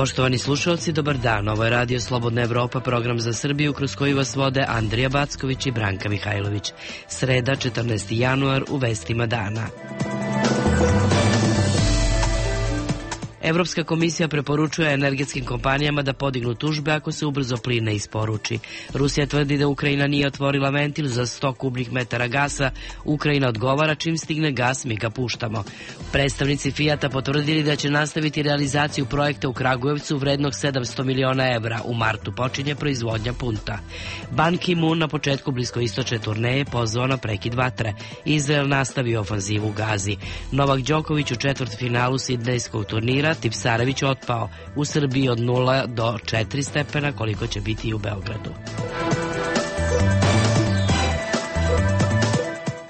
Poštovani slušalci, dobar dan. Ovo je Radio Slobodna Evropa, program za Srbiju kroz koji vas vode Andrija Backović i Branka Mihajlović. Sreda, 14. januar, u vestima dana. Evropska komisija preporučuje energetskim kompanijama da podignu tužbe ako se ubrzo plin ne isporuči. Rusija tvrdi da Ukrajina nije otvorila ventil za 100 kubnih metara gasa. Ukrajina odgovara čim stigne gas, mi ga puštamo. Predstavnici Fijata potvrdili da će nastaviti realizaciju projekta u Kragujevcu vrednog 700 miliona evra. U martu počinje proizvodnja punta. Ban Ki-moon na početku bliskoistočne turneje pozvao na prekid vatre. Izrael nastavio ofanzivu u Gazi. Novak Đoković u četvrtfinalu sidnejskog turnira, Tipsarević otpao. U Srbiji od 0 do 4 stepena, koliko će biti i u Beogradu.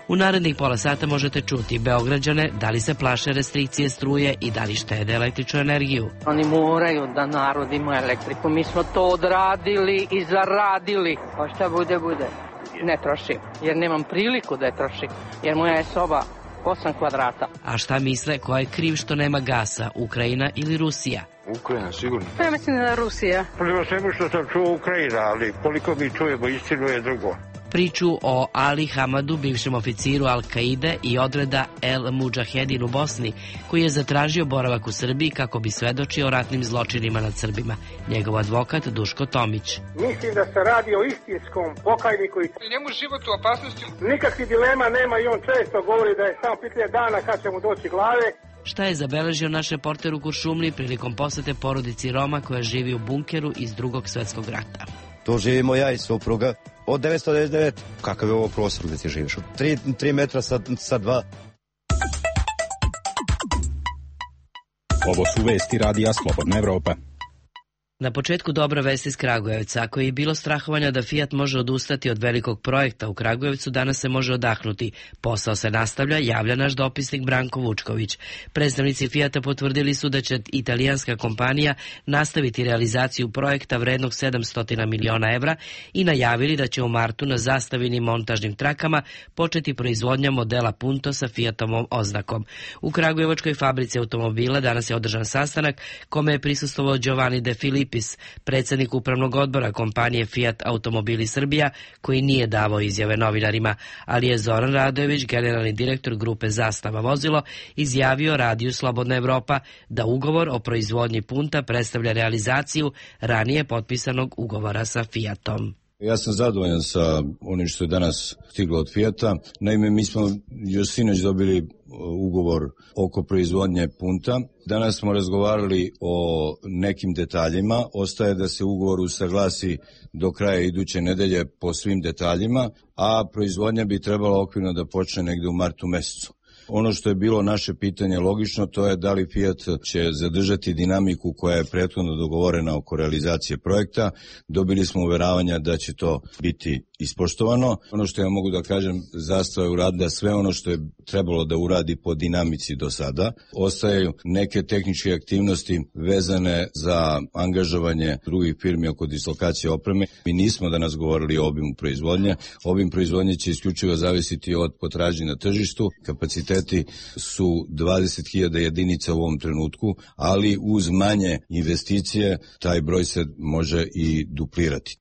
U narednih pola sata možete čuti Beograđane da li se plaše restrikcije struje i da li štede električnu energiju. Oni moraju da narod ima elektriku. Mi smo to odradili i zaradili. Pa šta bude, bude. Ne trošim, jer nemam priliku da je trošim, jer moja je soba 8 kvadrata. A šta misle, ko je kriv što nema gasa, Ukrajina ili Rusija? Ukrajina, sigurno. Pa ja mislim da je Rusija. Prema svemu što sam čuo Ukrajina, ali koliko mi čujemo istinu je drugo. Priču o Ali Hamadu, bivšem oficiru Al-Kaide i odreda El Mudžahedin u Bosni, koji je zatražio boravak u Srbiji kako bi svedočio o ratnim zločinima nad Srbima. Njegov advokat Duško Tomić. Mislim da se radi o istinskom pokajniku i njemu život u opasnosti. Nikakvih dilema nema i on često govori da je samo pitanje dana kad će mu doći glave. Šta je zabeležio naš reporter u Kuršumliji prilikom posete porodici Roma koja živi u bunkeru iz Drugog svjetskog rata? Tu živimo ja i supruga od 1999. Kakav je ovo prostor gde ti živiš? 3 metra sa 2. Ovo su vesti Radija Slobodna Evropa. Na početku dobra vest iz Kragujevca. Ako je bilo strahovanja da Fijat može odustati od velikog projekta u Kragujevcu, danas se može odahnuti. Posao se nastavlja, javlja naš dopisnik Branko Vučković. Predstavnici Fijata potvrdili su da će italijanska kompanija nastaviti realizaciju projekta vrednog 700 miliona evra i najavili da će u martu na zastavinim montažnim trakama početi proizvodnja modela Punto sa Fijatovom oznakom. U Kragujevačkoj fabrici automobila danas je održan sastanak kome je prisustvovao Giovanni De Filippi, predsjednik upravnog odbora kompanije Fiat Automobili Srbija, koji nije davao izjave novinarima, ali je Zoran Radojević, generalni direktor grupe Zastava vozilo, izjavio Radiju Slobodna Evropa da ugovor o proizvodnji punta predstavlja realizaciju ranije potpisanog ugovora sa Fiatom. Ja sam zadovoljan sa onim što je danas stiglo od Fijata. Naime, mi smo još sinoć dobili ugovor oko proizvodnje punta. Danas smo razgovarali o nekim detaljima. Ostaje da se ugovor usaglasi do kraja iduće nedelje po svim detaljima, a proizvodnja bi trebala okvirno da počne negde u martu mesecu. Ono što je bilo naše pitanje logično, to je da li Fiat će zadržati dinamiku koja je prethodno dogovorena oko realizacije projekta. Dobili smo uveravanja da će to biti ispoštovano. Ono što ja mogu da kažem, Zastava je uradila sve ono što je trebalo da uradi po dinamici do sada. Ostaju neke tehničke aktivnosti vezane za angažovanje drugih firmi oko dislokacije opreme. Mi nismo danas govorili o obimu proizvodnje. Obim proizvodnje će isključivo zavisiti od potražnje na tržištu. Kapaciteti su 20.000 jedinica u ovom trenutku, ali uz manje investicije taj broj se može i duplirati.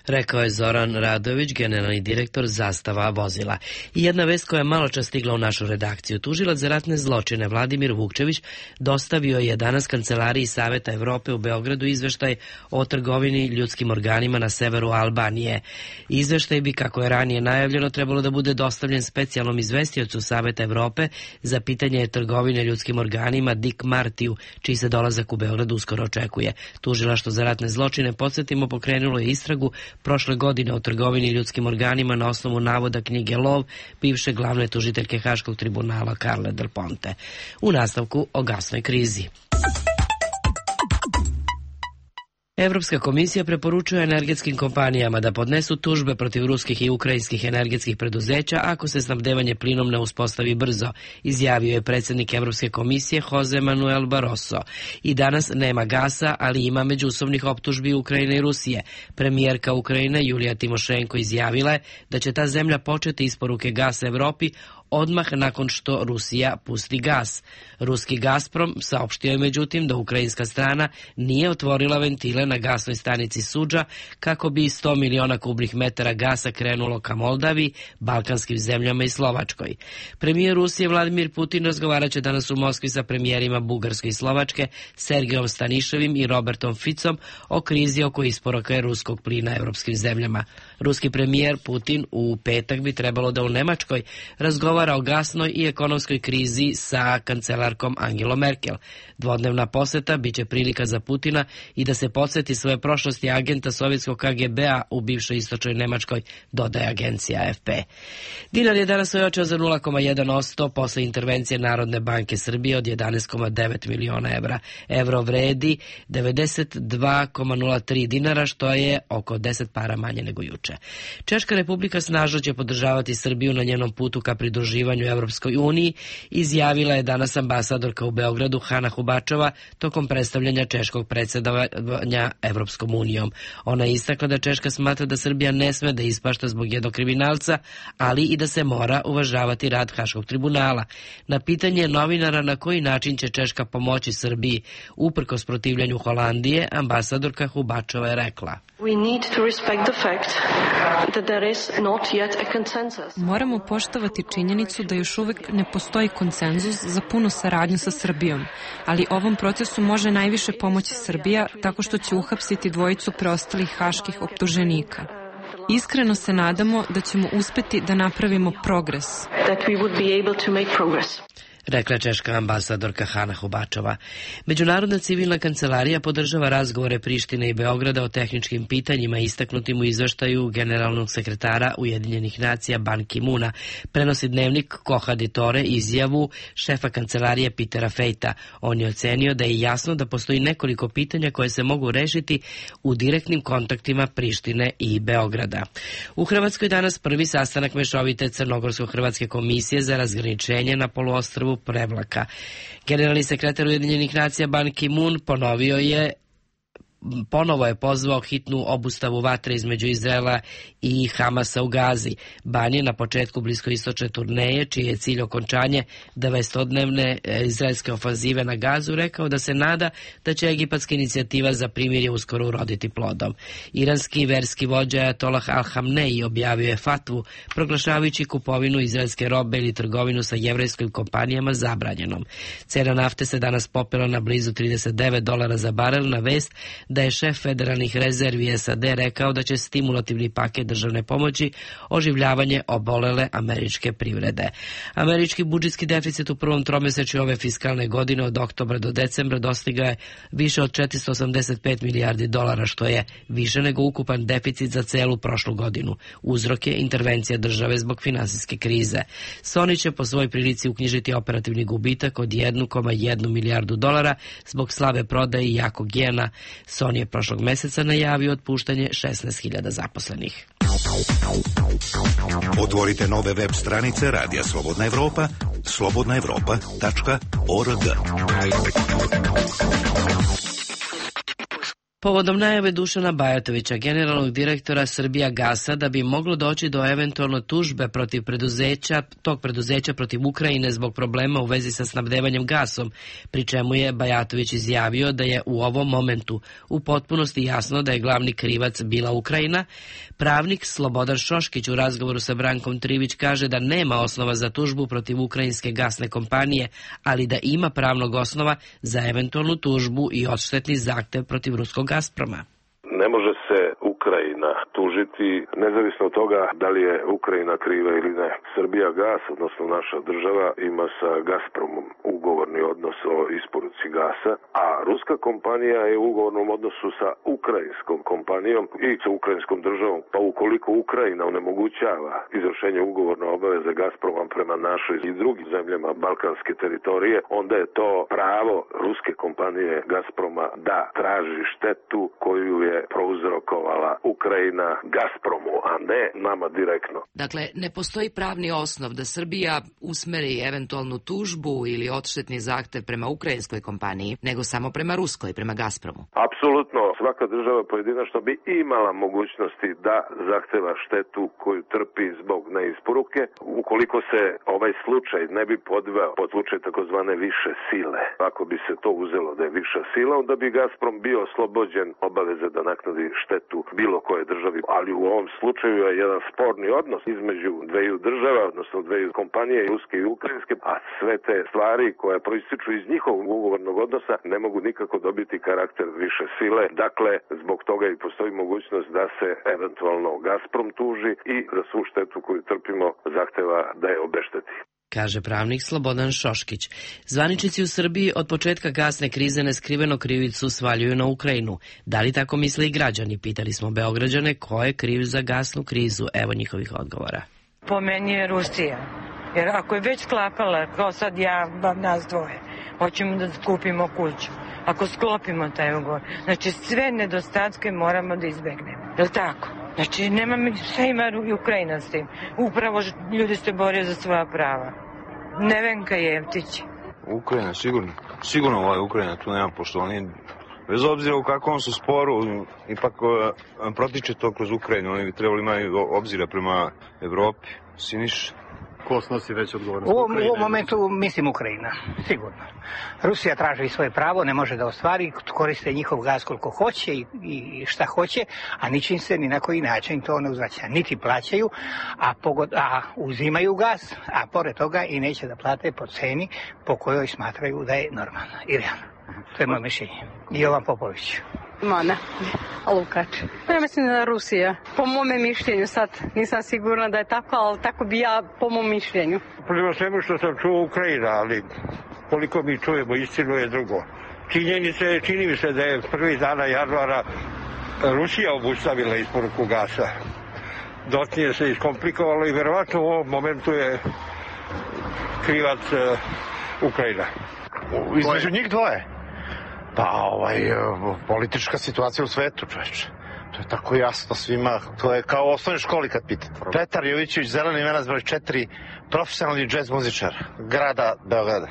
Rekao je Zoran Radojević, generalni direktor Zastava vozila. I jedna vest koja je malo čas stigla u našu redakciju. Tužilac za ratne zločine Vladimir Vukčević dostavio je danas Kancelariji Saveta Evrope u Beogradu izveštaj o trgovini ljudskim organima na severu Albanije. Izveštaj bi, kako je ranije najavljeno, trebalo da bude dostavljen specijalnom izvestiocu Saveta Evrope za pitanje trgovine ljudskim organima Dick Martiju, čiji se dolazak u Beogradu uskoro očekuje. Tužilaštvo za ratne zločine, podsjetimo, pokrenulo je istragu prošle godine o trgovini ljudskim organima na osnovu navoda knjige Lov bivše glavne tužiteljke Haškog tribunala Carle Del Ponte. U nastavku o gasnoj krizi. Evropska komisija preporučuje energetskim kompanijama da podnesu tužbe protiv ruskih i ukrajinskih energetskih preduzeća ako se snabdevanje plinom ne uspostavi brzo, izjavio je predsjednik Evropske komisije Jose Manuel Barroso. I danas nema gasa, ali ima međusobnih optužbi Ukrajine i Rusije. Premijerka Ukrajine Julija Timošenko izjavila je da će ta zemlja početi isporuke gasa Evropi odmah nakon što Rusija pusti gas. Ruski Gazprom saopštio je međutim da ukrajinska strana nije otvorila ventile na gasnoj stanici Suđa kako bi 100 miliona kubnih metara gasa krenulo ka Moldavi, balkanskim zemljama i Slovačkoj. Premijer Rusije Vladimir Putin razgovarat će danas u Moskvi sa premijerima Bugarske i Slovačke, Sergejom Staniševim i Robertom Ficom o krizi oko isporuke ruskog plina evropskim zemljama. Ruski premijer Putin u petak bi trebalo da u Nemačkoj razgovara o gasnoj i ekonomskoj krizi sa kancelarkom Angelom Merkel. Dvodnevna poseta biće prilika za Putina i da se podsjeti svoje prošlosti agenta sovjetskog KGB-a u bivšoj istočnoj Nemačkoj, dodaje agencija AFP. Dinar je danas ojačao za 0,1% posle intervencije Narodne banke Srbije od 11,9 miliona evra. Evro vredi 92,03 dinara, što je oko 10 para manje nego juče. Češka republika snažno će podržavati Srbiju na njenom putu ka pridruživanju Evropskoj uniji, izjavila je danas ambasadorka u Beogradu Hana Hubačova tokom predstavljanja češkog predsjedavanja Evropskom unijom. Ona je istakla da Češka smatra da Srbija ne sme da ispašta zbog jednog kriminalca, ali i da se mora uvažavati rad Haškog tribunala. Na pitanje novinara na koji način će Češka pomoći Srbiji uprkos protivljanju Holandije, ambasadorka Hubačova je rekla: Moramo poštovati činjenicu da još uvek ne postoji konsenzus za punu saradnju sa Srbijom, ali ovom procesu može najviše pomoći Srbija tako što će uhapsiti dvojicu preostalih haških optuženika. Iskreno se nadamo da ćemo uspeti da napravimo progres. Rekla češka ambasadorka Hana Hubačova. Međunarodna civilna kancelarija podržava razgovore Prištine i Beograda o tehničkim pitanjima istaknutim u izveštaju generalnog sekretara Ujedinjenih nacija Ban Ki-muna. Prenosi dnevnik Koha Ditore izjavu šefa kancelarije Petera Fejta. On je ocenio da je jasno da postoji nekoliko pitanja koje se mogu rešiti u direktnim kontaktima Prištine i Beograda. U Hrvatskoj danas prvi sastanak mešovite Crnogorsko-hrvatske komisije za razgraničenje na poluostrvu Prevlaka. Generalni sekretar Ujedinjenih nacija Ban Ki-mun ponovo je pozvao hitnu obustavu vatre između Izraela i Hamasa u Gazi. Ban je na početku bliskoistočne turneje, čiji je cilj okončanje 900-dnevne izraelske ofanzive na Gazu, rekao da se nada da će egipatska inicijativa za primirje uskoro uroditi plodom. Iranski verski vođa Ajatollah Al-Hamneji objavio je fatvu proglašavajući kupovinu izraelske robe ili trgovinu sa jevrejskim kompanijama zabranjenom. Cena nafte se danas popela na blizu $39 za barel na vest da je šef federalnih rezervi SAD rekao da će stimulativni paket državne pomoći oživljavanje obolele američke privrede. Američki budžetski deficit u prvom tromesečju ove fiskalne godine od oktobra do decembra dostigao je više od $485 milijardi, što je više nego ukupan deficit za celu prošlu godinu. Uzrok je intervencija države zbog finansijske krize. Sony će po svojoj prilici uknjižiti operativni gubitak od $1,1 milijardu zbog slabe prodaje i jakog jena. Sony je prošlog meseca najavio otpuštanje 16.000 zaposlenih. Otvorite nove web stranice Radija Slobodna Evropa, slobodnaevropa.org. Povodom najave Dušana Bajatovića, generalnog direktora Srbija Gasa, da bi moglo doći do eventualno tužbe protiv tog preduzeća protiv Ukrajine zbog problema u vezi sa snabdevanjem gasom, pri čemu je Bajatović izjavio da je u ovom momentu u potpunosti jasno da je glavni krivac bila Ukrajina, pravnik Slobodar Šoškić u razgovoru sa Brankom Trivić kaže da nema osnova za tužbu protiv ukrajinske gasne kompanije, ali da ima pravnog osnova za eventualnu tužbu i odštetni zahtev protiv ruskog Gazproma. Ne može se Ukrajina tužiti, nezavisno od toga da li je Ukrajina kriva ili ne. Srbija gas, odnosno naša država, ima sa Gazpromom ugovorni odnos o isporuci gasa, a ruska kompanija je u ugovornom odnosu sa ukrajinskom kompanijom i sa ukrajinskom državom. Pa ukoliko Ukrajina onemogućava izvršenje ugovorne obaveze Gazproma prema našoj i drugim zemljama balkanske teritorije, onda je to pravo ruske kompanije Gazproma da traži štetu koju je prouzrokovala Ukrajina Gazpromu, a ne nama direktno. Dakle, ne postoji pravni osnov da Srbija usmeri eventualnu tužbu ili odštetni zahtev prema ukrajinskoj kompaniji, nego samo prema ruskoj, prema Gazpromu. Apsolutno, svaka država pojedinačno bi imala mogućnosti da zahteva štetu koju trpi zbog neisporuke, ukoliko se ovaj slučaj ne bi podveo pod slučaj takozvane više sile. Ako bi se to uzelo da je viša sila, onda bi Gazprom bio oslobođen obaveze da naknadi štetu bilo koje državi, ali u ovom slučaju je jedan sporni odnos između dveju država, odnosno dveju kompanije, ruske i ukrajinske, a sve te stvari koje proističu iz njihovog ugovornog odnosa ne mogu nikako dobiti karakter više sile. Dakle, zbog toga i postoji mogućnost da se eventualno Gazprom tuži i za svu štetu koju trpimo zahteva da je obešteti. Kaže pravnik Slobodan Šoškić. Zvaničnici u Srbiji od početka gasne krize neskriveno krivicu svaljuju na Ukrajinu. Da li tako misle i građani? Pitali smo Beograđane ko je kriv za gasnu krizu. Evo njihovih odgovora. Po meni je Rusija. Jer ako je već sklapala, kao sad nas dvoje, hoćemo da kupimo kuću. Ako sklopimo taj ugovor, znači sve nedostatke moramo da izbegnemo. Je li tako? Znači, sve ima i Ukrajina s tim. Upravo ljudi se bore za svoja prava. Nevenka Jevtić. Ukrajina, sigurno. Sigurno Ukrajina, tu nema poštovanja. Bez obzira u kakvom su sporu, ipak protiče to kroz Ukrajinu. Oni bi trebali imati obzira prema Evropi. Siniš. Ko snosi već odgovornost? U ovom momentu mislim Ukrajina, sigurno. Rusija traži svoje pravo, ne može da ostvari, koriste njihov gaz koliko hoće i šta hoće, a ničim se ni na koji način to ne uzvraća. Niti plaćaju, a uzimaju gaz, a pored toga i neće da plate po ceni po kojoj smatraju da je normalna i realna. To je moje mišljenje. Jovan Popović. Mana, Lukač. Ja mislim da je Rusija. Po mome mišljenju, sad nisam sigurna da je tako, ali tako bi ja po mom mišljenju. Prema svemu što sam čuo Ukrajina, ali koliko mi čujemo istinu je drugo. Čini mi se da je prvi dana januara Rusija obustavila isporuku gasa. Dotnije se iskomplikovalo i verovatno u ovom momentu je krivac Ukrajina. Između njih dvoje? Pa politička situacija u svetu, čoveče. To je tako jasno svima. To je kao u osnovnoj školi kad pitate. Petar Jovićević, Zeleni venac broj 4, profesionalni džez muzičar grada Beograda.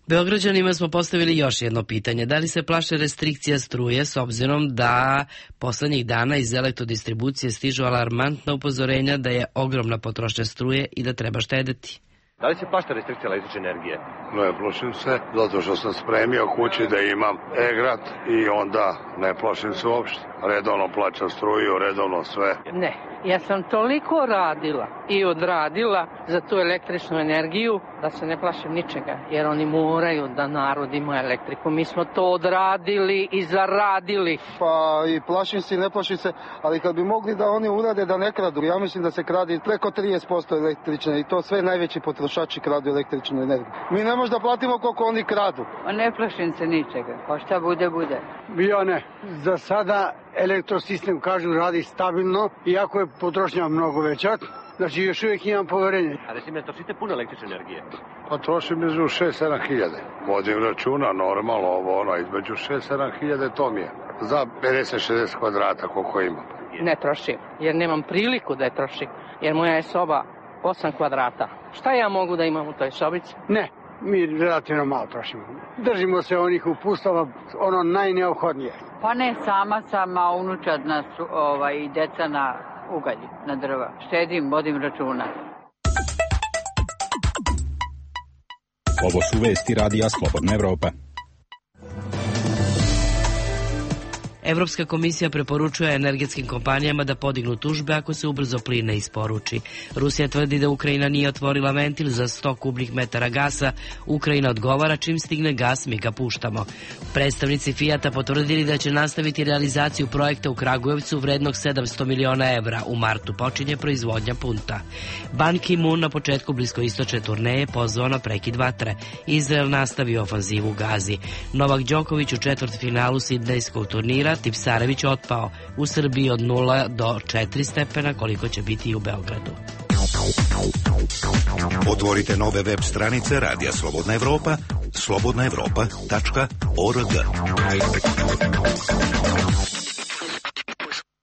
Beograđanima smo postavili još jedno pitanje. Da li se plaše restrikcija struje s obzirom da poslednjih dana iz elektrodistribucije stižu alarmantna upozorenja da je ogromna potrošnja struje i da treba štedeti? Da li se plašta restrikcija električne energije? Ne plašim se, zato što sam spremio kući da imam e-grad i onda ne plašim se uopšte. Redovno plaćam struju, redovno sve. Ne, ja sam toliko radila i odradila za tu električnu energiju da se ne plašim ničega, jer oni moraju da narod ima elektriku. Mi smo to odradili i zaradili. Pa i plašim se i ne plašim se, ali kad bi mogli da oni urade da ne kradu, ja mislim da se kradi preko 30% električne i to sve najveći potrošači kradu električnu energiju. Mi ne možemo da platimo koliko oni kradu. Ne plašim se ničega, pa šta bude, bude. Ja ne. Za sada elektrosistem, kažu, radi stabilno, iako je potrošnja mnogo veća. Znači, još uvijek imam poverenje. A recimo, ne trošite puno električne energije? Pa trošim između 6-7 hiljade. Vodim računa, normalno, između 6-7 hiljade to mi je. Za 50-60 kvadrata koliko imam. Ne trošim, jer nemam priliku da je trošim, jer moja je soba 8 kvadrata. Šta ja mogu da imam u toj sobici? Ne, mi relativno malo trošimo. Držimo se onih upustava, ono najneophodnije. Pa ne, sama sam, a unučad nas i deca na ugalj, na drva. Štedim, vodim računa. Ovo su vesti Radija Slobodna Evropa. Evropska komisija preporučuje energetskim kompanijama da podignu tužbe ako se ubrzo plin ne isporuči. Rusija tvrdi da Ukrajina nije otvorila ventil za 100 kubnih metara gasa. Ukrajina odgovara čim stigne gas mi ga puštamo. Predstavnici Fijata potvrdili da će nastaviti realizaciju projekta u Kragujevcu vrednog 700 miliona evra. U martu počinje proizvodnja punta. Ban Ki-moon na početku bliskoistočne turneje pozvao na prekid vatre. Izrael nastavio ofanzivu u Gazi. Novak Đoković u četvrtfinalu sidnejskog turnira, Tipsarević otpao. U Srbiji od 0 do 4 stepena, koliko će biti i u Beogradu. Otvorite nove web stranice Radija Slobodna Evropa, slobodnaevropa.org.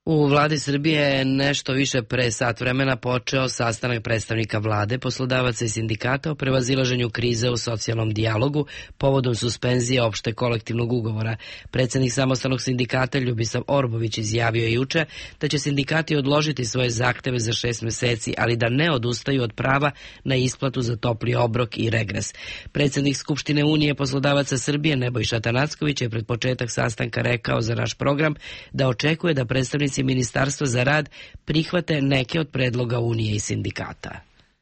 U vladi Srbije je nešto više pre sat vremena počeo sastanak predstavnika vlade, poslodavaca i sindikata o prevazilaženju krize u socijalnom dijalogu povodom suspenzije opšte kolektivnog ugovora. Predsjednik samostalnog sindikata Ljubisav Orbović izjavio je juče da će sindikati odložiti svoje zahteve za 6 meseci, ali da ne odustaju od prava na isplatu za topli obrok i regres. Predsjednik Skupštine Unije poslodavaca Srbije Nebojša Tanacković je pred početak sastanka rekao za naš program da očekuje da predstavnici Ministarstva za rad prihvate neke od predloga Unije i sindikata.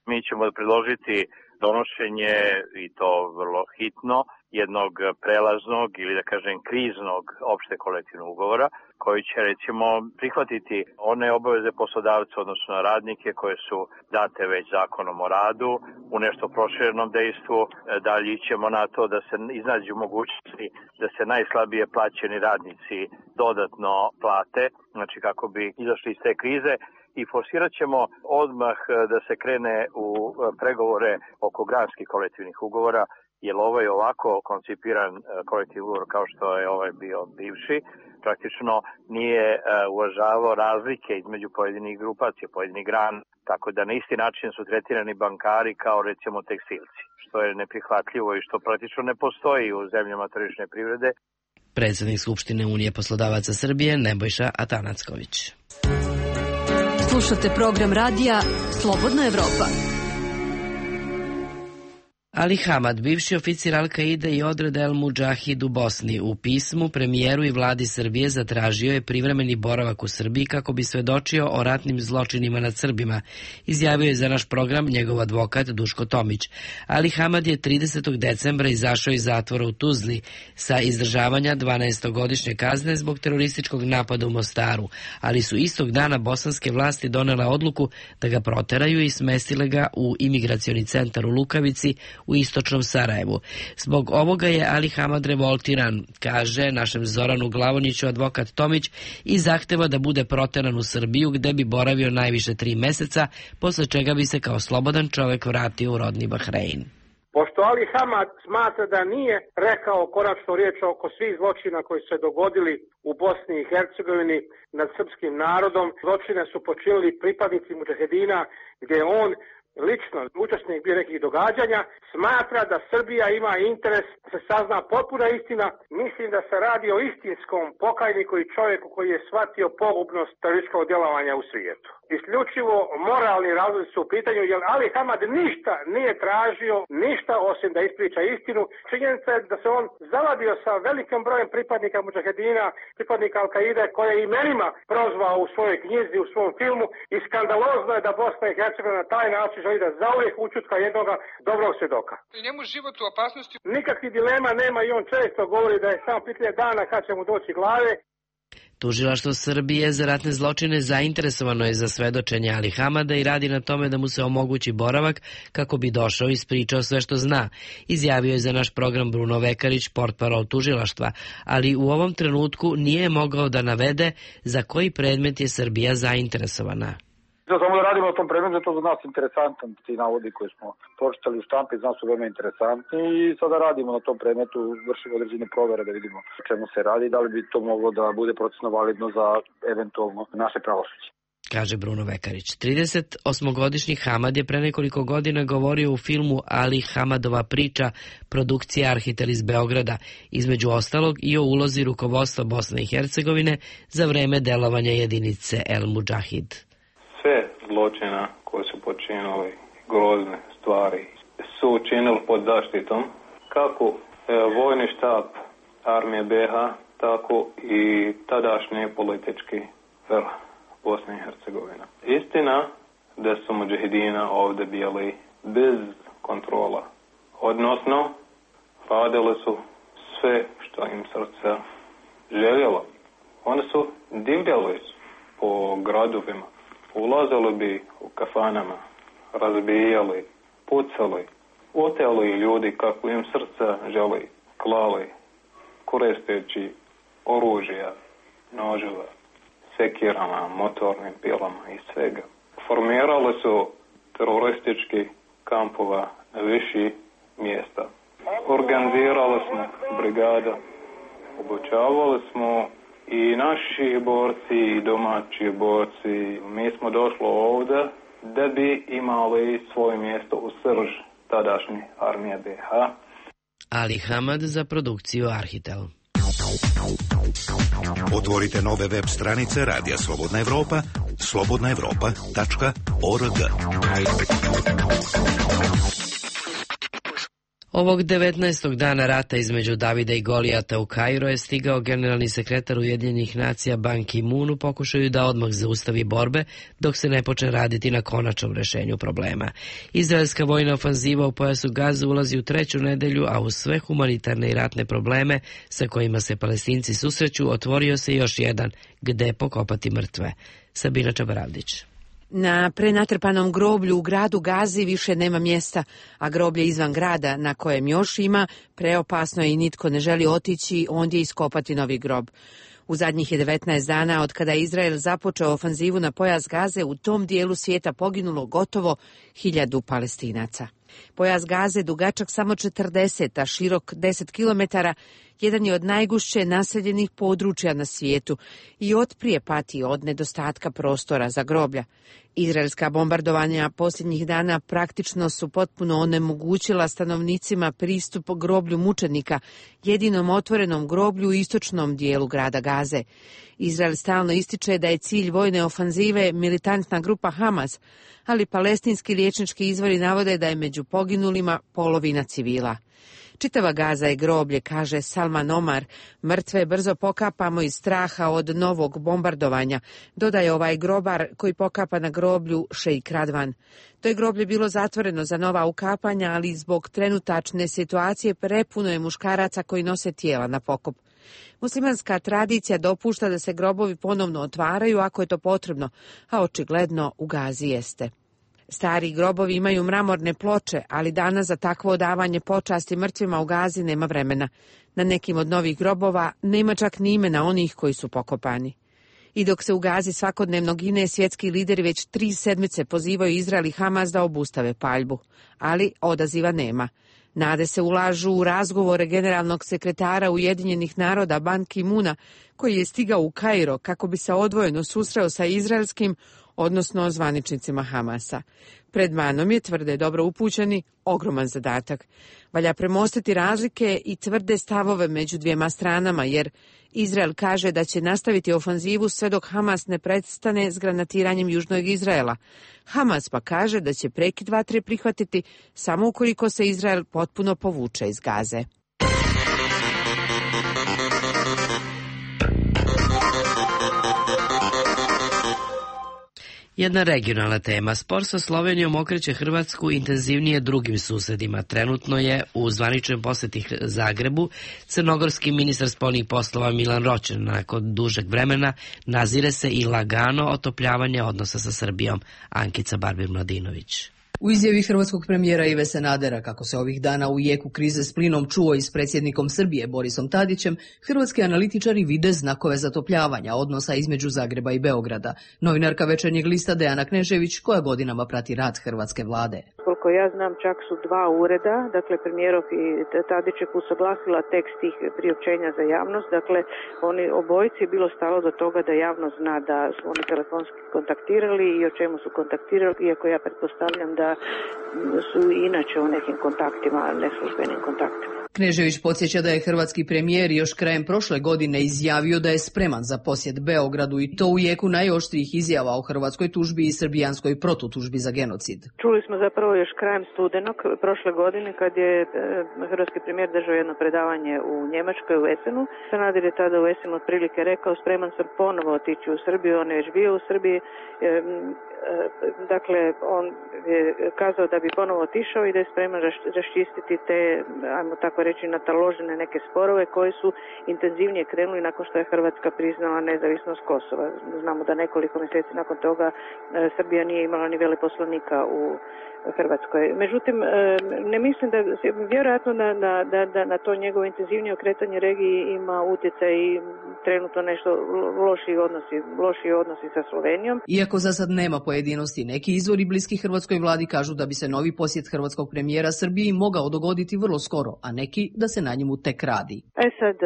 Mi ćemo predložiti donošenje, i to vrlo hitno, jednog prelaznog ili da kažem kriznog opšte kolektivnog ugovora koji će recimo prihvatiti one obaveze poslodavca odnosno na radnike koje su date već zakonom o radu u nešto proširenom dejstvu. Dalje ćemo na to da se iznađu mogućnosti da se najslabije plaćeni radnici dodatno plate, znači kako bi izašli iz te krize. I forsirat ćemo odmah da se krene u pregovore oko granskih kolektivnih ugovora, jer ovo je ovako koncipiran kolektivni ugovor kao što je ovaj bio bivši, praktično nije uvažavao razlike između pojedinih grupacija, pojedinih grana, tako da na isti način su tretirani bankari kao recimo tekstilci, što je neprihvatljivo i što praktično ne postoji u zemljama tržišne privrede. Predsjednik Skupštine Unije poslodavaca Srbije Nebojša Atanacković. Slušate program radija Slobodna Evropa. Ali Hamad, bivši oficir Al-Kaide i odreda El Mudžahid u Bosni, u pismu premijeru i vladi Srbije zatražio je privremeni boravak u Srbiji kako bi svedočio o ratnim zločinima nad Srbima, izjavio je za naš program njegov advokat Duško Tomić. Ali Hamad je 30. decembra izašao iz zatvora u Tuzli sa izdržavanja 12-godišnje kazne zbog terorističkog napada u Mostaru, ali su istog dana bosanske vlasti donele odluku da ga proteraju i smestile ga u imigracioni centar u Lukavici u istočnom Sarajevu. Zbog ovoga je Ali Hamad revoltiran, kaže našem Zoranu Glavoniću advokat Tomić, i zahteva da bude proteran u Srbiju gde bi boravio najviše 3 meseca, posle čega bi se kao slobodan čovek vratio u rodni Bahrein. Pošto Ali Hamad smatra da nije rekao konačno riječ oko svih zločina koji su se dogodili u Bosni i Hercegovini nad srpskim narodom, zločine su počinili pripadnici mudžahedina gdje on lično učesnik bio nekih događanja, smatra da Srbija ima interes da se sazna potpuna istina. Mislim da se radi o istinskom pokajniku i čovjeku koji je shvatio pogubnost terorističkog djelovanja u svijetu. Isključivo moralni razlozi su u pitanju, jer Ali Hamad ništa nije tražio, ništa osim da ispriča istinu. Činjenica je da se on zavadio sa velikim brojem pripadnika mudžahedina, pripadnika Al-Kaide, koje je imenima prozvao u svojoj knjizi, u svom filmu, i skandalozno je da Bosna i Hercegovina na taj način želi da zauvijek učutka jednoga dobrog svjedoka. Njemu život u opasnosti. Nikakvih dilema nema i on često govori da je samo pitanje dana kad će mu doći glave. Tužilaštvo Srbije za ratne zločine zainteresovano je za svedočenje Ali Hamada i radi na tome da mu se omogući boravak kako bi došao i ispričao sve što zna, izjavio je za naš program Bruno Vekarić, portparol tužilaštva, ali u ovom trenutku nije mogao da navede za koji predmet je Srbija zainteresovana. Samo da radimo na tom predmetu, to za nas interesantan, ti navodi koje smo pročitali u štampi, za nas su veoma interesantni i sada radimo na tom predmetu, vršimo određene provere da vidimo o čemu se radi, da li bi to moglo da bude procesno validno za eventualno naše pravosuđe. Kaže Bruno Vekarić. 38-godišnji Hamad je pre nekoliko godina govorio u filmu Ali Hamadova priča, produkcija Arhitel iz Beograda, između ostalog i o ulozi rukovodstva Bosne i Hercegovine za vreme delovanja jedinice El Mudžahid. Sve zločina koje su počinili, grozne stvari, su učinili pod zaštitom kako vojni štab armije BiH, tako i tadašnji politički vrh Bosne i Hercegovine. Istina da su mudžahedina ovdje bili bez kontrola, odnosno radili su sve što im srce željelo. Oni su divljali po gradovima. Ulazili bi u kafanama, razbijali, pucali, oteli ljudi kako im srca želi, klali, koristeći oružja, noževa, sekirama, motornim pilama i svega. Formirali su teroristički kampova na viši mjesta. Organizirali smo brigada, obučavali smo i naši borci i domaći borci. Mi smo došli ovdje da bi imali svoje mjesto u srž tadašnje armije BiH. Ali Hamad za produkciju Arhitel. Otvorite nove web stranice Radija Slobodna Evropa, slobodnaevropa.org. Ovog 19. dana rata između Davida i Golijata u Kairo je stigao generalni sekretar Ujedinjenih nacija Ban Ki-moon u pokušaju da odmah zaustavi borbe dok se ne počne raditi na konačnom rešenju problema. Izraelska vojna ofanziva u pojasu Gaze ulazi u 3. nedelju, a uz sve humanitarne i ratne probleme sa kojima se Palestinci susreću, otvorio se još jedan, gde pokopati mrtve. Sabina Čabaravdić. Na prenatrpanom groblju u gradu Gazi više nema mjesta, a groblje izvan grada, na kojem još ima, preopasno je i nitko ne želi otići ondje iskopati novi grob. U zadnjih je 19 dana od kada je Izrael započeo ofanzivu na pojas Gaze, u tom dijelu svijeta poginulo gotovo 1000 Palestinaca. Pojas Gaze, dugačak samo 40, a širok 10 kilometara, jedan je od najgušće naseljenih područja na svijetu i otprije pati od nedostatka prostora za groblja. Izraelska bombardovanja posljednjih dana praktično su potpuno onemogućila stanovnicima pristup groblju mučenika, jedinom otvorenom groblju u istočnom dijelu grada Gaze. Izrael stalno ističe da je cilj vojne ofanzive militantna grupa Hamas, ali palestinski liječnički izvori navode da je među poginulima polovina civila. Čitava Gaza je groblje, kaže Salman Omar. Mrtve brzo pokapamo iz straha od novog bombardovanja, dodaje ovaj grobar koji pokapa na groblju Šejk Radvan. To je groblje bilo zatvoreno za nova ukapanja, ali zbog trenutačne situacije prepuno je muškaraca koji nose tijela na pokop. Muslimanska tradicija dopušta da se grobovi ponovno otvaraju ako je to potrebno, a očigledno u Gazi jeste. Stari grobovi imaju mramorne ploče, ali danas za takvo odavanje počasti mrtvima u Gazi nema vremena. Na nekim od novih grobova nema čak ni imena onih koji su pokopani. I dok se u Gazi svakodnevno gine, svjetski lideri već 3 sedmice pozivaju Izrael i Hamas da obustave paljbu, ali odaziva nema. Nade se ulažu u razgovore generalnog sekretara Ujedinjenih naroda Ban Ki-moona, koji je stigao u Kairo kako bi se odvojeno susreo sa izraelskim, odnosno zvaničnicima Hamasa. Pred Banom je, tvrde dobro upućeni, ogroman zadatak. Valja premostiti razlike i tvrde stavove među dvijema stranama, jer Izrael kaže da će nastaviti ofanzivu sve dok Hamas ne prestane s granatiranjem južnog Izraela. Hamas pa kaže da će prekid vatre prihvatiti samo ukoliko se Izrael potpuno povuče iz Gaze. Jedna regionalna tema. Spor sa Slovenijom okreće Hrvatsku intenzivnije drugim susedima. Trenutno je u zvaničnoj posjeti Zagrebu crnogorski ministar spoljnih poslova Milan Ročen. Nakon dužeg vremena nazire se i lagano otopljavanje odnosa sa Srbijom. Ankica Barbir-Mladinović. U izjavi hrvatskog premijera Ive Sanadera, kako se ovih dana u jeku krize s plinom čuo i s predsjednikom Srbije Borisom Tadićem, hrvatski analitičari vide znakove zatopljavanja odnosa između Zagreba i Beograda. Novinarka Večernjeg lista Dejana Knežević, koja godinama prati rad hrvatske vlade. Koliko ja znam, čak su 2 ureda, dakle premijerov i Tadićev, usuglasila tekst tih priopćenja za javnost. Dakle, oni obojici je bilo stalo do toga da javnost zna da su oni telefonski kontaktirali i o čemu su kontaktirali, iako ja pretpostavljam da su inače u nekim kontaktima, neslužbenim kontaktima. Knežević podsjeća da je hrvatski premijer još krajem prošle godine izjavio da je spreman za posjet Beogradu i to u jeku najoštrijih izjava o hrvatskoj tužbi i srbijanskoj protutužbi za genocid. Čuli smo zapravo još krajem studenog prošle godine kad je hrvatski premijer držao jedno predavanje u Njemačkoj u Essenu. Sanader je tada u Essenu otprilike rekao: spreman sam ponovo otići u Srbiju, on je već bio u Srbiji. Dakle, on je kazao da bi ponovo otišao i da je spreman raščistiti te, ajmo tako reći, nataložene neke sporove koji su intenzivnije krenuli nakon što je Hrvatska priznala nezavisnost Kosova. Znamo da nekoliko mjeseci nakon toga Srbija nije imala ni veleposlanika u Hrvatskoj. Hrvatskoj. Međutim, ne mislim da vjerojatno na to njegovo intenzivnije okretanje regiji ima utjecaj i trenutno nešto lošiji odnosi sa Slovenijom. Iako za sad nema pojedinosti, neki izvori bliski hrvatskoj vladi kažu da bi se novi posjet hrvatskog premijera Srbiji mogao dogoditi vrlo skoro, a neki da se na njemu tek radi. Sad,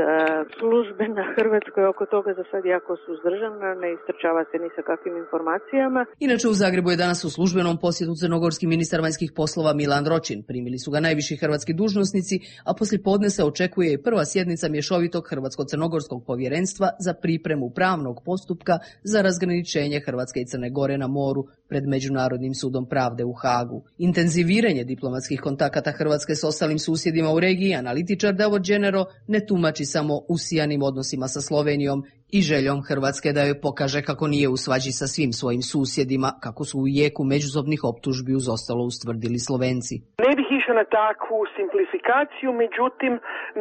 službe na Hrvatskoj oko toga za sad jako suzdržana, ne istrčava se ni sa kakvim informacijama. Inače, u Zagrebu je danas u službenom posjetu crnogorski ministar vanjskih poslova Milan Ročin. Primili su ga najviši hrvatski dužnosnici, a poslijepodne se očekuje i prva sjednica mješovitog hrvatsko-crnogorskog povjerenstva za pripremu pravnog postupka za razgraničenje Hrvatske i Crne Gore na moru pred Međunarodnim sudom pravde u Hagu. Intenziviranje diplomatskih kontakata Hrvatske s ostalim susjedima u regiji analitičar Davor Đenero ne tumači samo usijanim odnosima sa Slovenijom i željom Hrvatske da joj pokaže kako nije u svađi sa svim svojim susjedima, kako su u jeku međusobnih optužbi uz ostalo ustvrdili Slovenci. Ne bih išla na takvu simplifikaciju, međutim,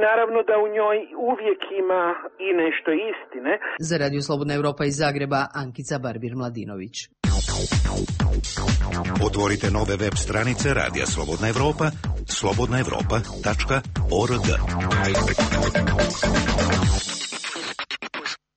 naravno da u njoj uvijek ima i nešto istine. Za Radio Slobodna Evropa iz Zagreba, Ankica Barbir-Mladinović. Otvorite nove web stranice Radija Slobodna Evropa, slobodnaevropa.org.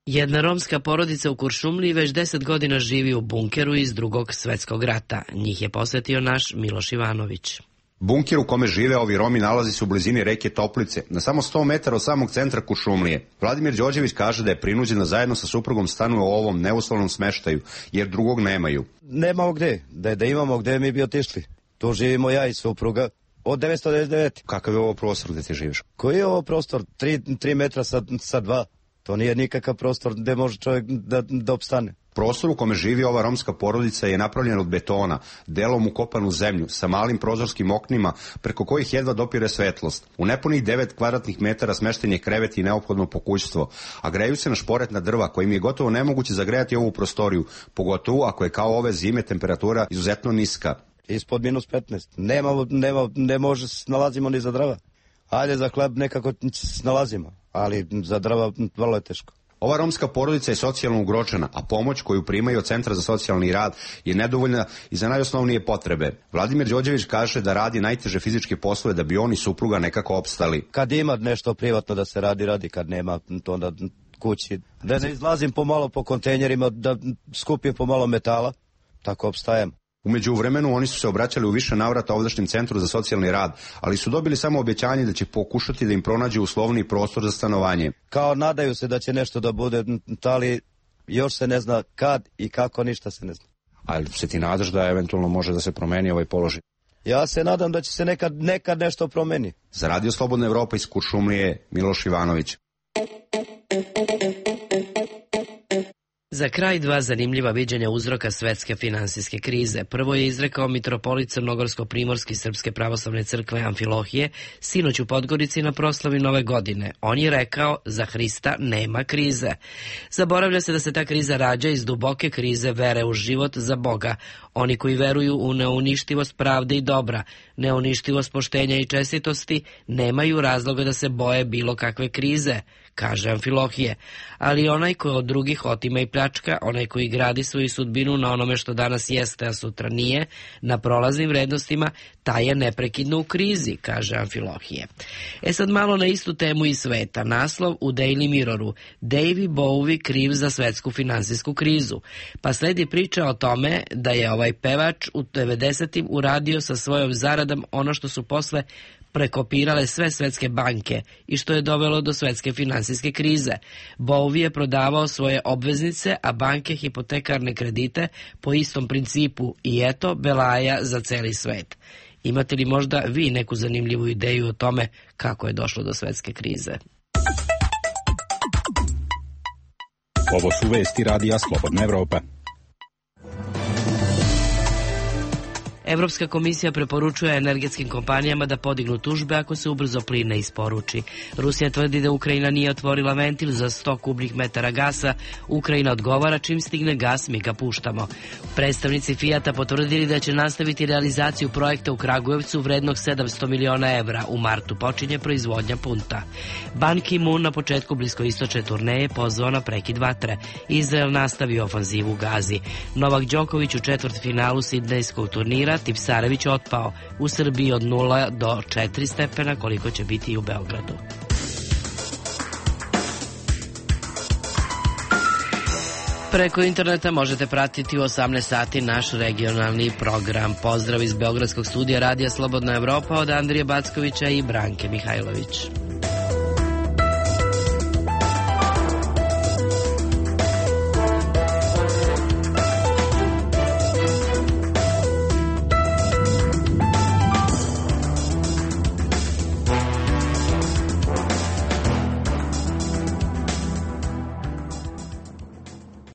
Jedna romska porodica u Kuršumliji već 10 godina živi u bunkeru iz Drugog svjetskog rata. Njih je posjetio naš Miloš Ivanović. Bunker u kome žive ovi Romi nalazi se u blizini reke Toplice, na samo 100 metara od samog centra Kuršumlije. Vladimir Đorđević kaže da je prinuđen da zajedno sa suprugom stanuje u ovom neuslovnom smeštaju, jer drugog nemaju. Nemamo gde, da imamo gde mi bi otišli. Tu živimo ja i supruga od 1999. Kakav je ovo prostor gde ti živiš? Koji je ovo prostor? 3 metra sa 2. To nije nikakav prostor gde može čovjek da opstane. Prostor u kome živi ova romska porodica je napravljen od betona, delom ukopan u zemlju, sa malim prozorskim oknima, preko kojih jedva dopire svetlost. U nepunih 9 kvadratnih metara smešten je krevet i neophodno pokućstvo, a greju se na šporetna drva, kojim je gotovo nemoguće zagrejati ovu prostoriju, pogotovo ako je kao ove zime temperatura izuzetno niska. Ispod -15. Ne može nalazimo ni za drva. Ajde, za hleb nekako nalazimo, ali za drva vrlo je teško. Ova romska porodica je socijalno ugrožena, a pomoć koju primaju od Centra za socijalni rad je nedovoljna i za najosnovnije potrebe. Vladimir Đorđević kaže da radi najteže fizičke poslove da bi on i supruga nekako opstali. Kad ima nešto privatno da se radi, kad nema to onda kući. Da ne izlazim pomalo po kontejnerima, da skupim pomalo metala, tako opstajem. U međuvremenu oni su se obraćali u više navrata ovdašnjem Centru za socijalni rad, ali su dobili samo obećanje da će pokušati da im pronađu uslovni prostor za stanovanje. Kao nadaju se da će nešto da bude, ali još se ne zna kad i kako, ništa se ne zna. Ali se ti nadaš da eventualno može da se promeni ovaj položaj? Ja se nadam da će se nekad nešto promeni. Za Radio Slobodna Evropa iz Kuršumlije, Miloš Ivanović. Za kraj 2 zanimljiva viđenja uzroka svetske finansijske krize. Prvo je izrekao mitropolit Crnogorsko-primorski Srpske pravoslavne crkve Amfilohije sinoć u Podgorici na proslavi Nove godine. On je rekao, za Hrista nema krize. Zaboravlja se da se ta kriza rađa iz duboke krize vere u život za Boga. Oni koji veruju u neuništivost pravde i dobra, neuništivost poštenja i čestitosti, nemaju razloga da se boje bilo kakve krize, kaže Amfilohije. Ali onaj koji od drugih otima i pljačka, onaj koji gradi svoju sudbinu na onome što danas jeste, a sutra nije, na prolaznim vrednostima, taj je neprekidno u krizi, kaže Amfilohije. Sad malo na istu temu iz sveta. Naslov u Daily Mirroru: Davey Bowie kriv za svetsku finansijsku krizu. Pa sledi priča o tome da je ovaj pevač u 90-im uradio sa svojom zaradom ono što su posle prekopirale sve svetske banke i što je dovelo do svetske finansijske krize. Bowie je prodavao svoje obveznice, a banke hipotekarne kredite po istom principu i eto belaja za celi svet. Imate li možda vi neku zanimljivu ideju o tome kako je došlo do svetske krize? Ovo su vesti Radija Slobodna Evropa. Evropska komisija preporučuje energetskim kompanijama da podignu tužbe ako se ubrzo plin ne isporuči. Rusija tvrdi da Ukrajina nije otvorila ventil za 100 kubnih metara gasa. Ukrajina odgovara, čim stigne gas mi ga puštamo. Predstavnici Fijata potvrdili da će nastaviti realizaciju projekta u Kragujevcu vrednog 700 miliona evra. U martu počinje proizvodnja punta. Ban Ki-moon na početku bliskoistočne turneje pozvao na prekid vatre. Izrael nastavio ofanzivu u Gazi. Novak Đoković u četvrtfinalu sidnejskog turnira Tipsarević otpao. U Srbiji od 0 do 4 stepena, koliko će biti i u Beogradu. Preko interneta možete pratiti u 18 sati naš regionalni program. Pozdrav iz Beogradskog studija Radija Slobodna Evropa od Andrije Backovića i Branke Mihajlović.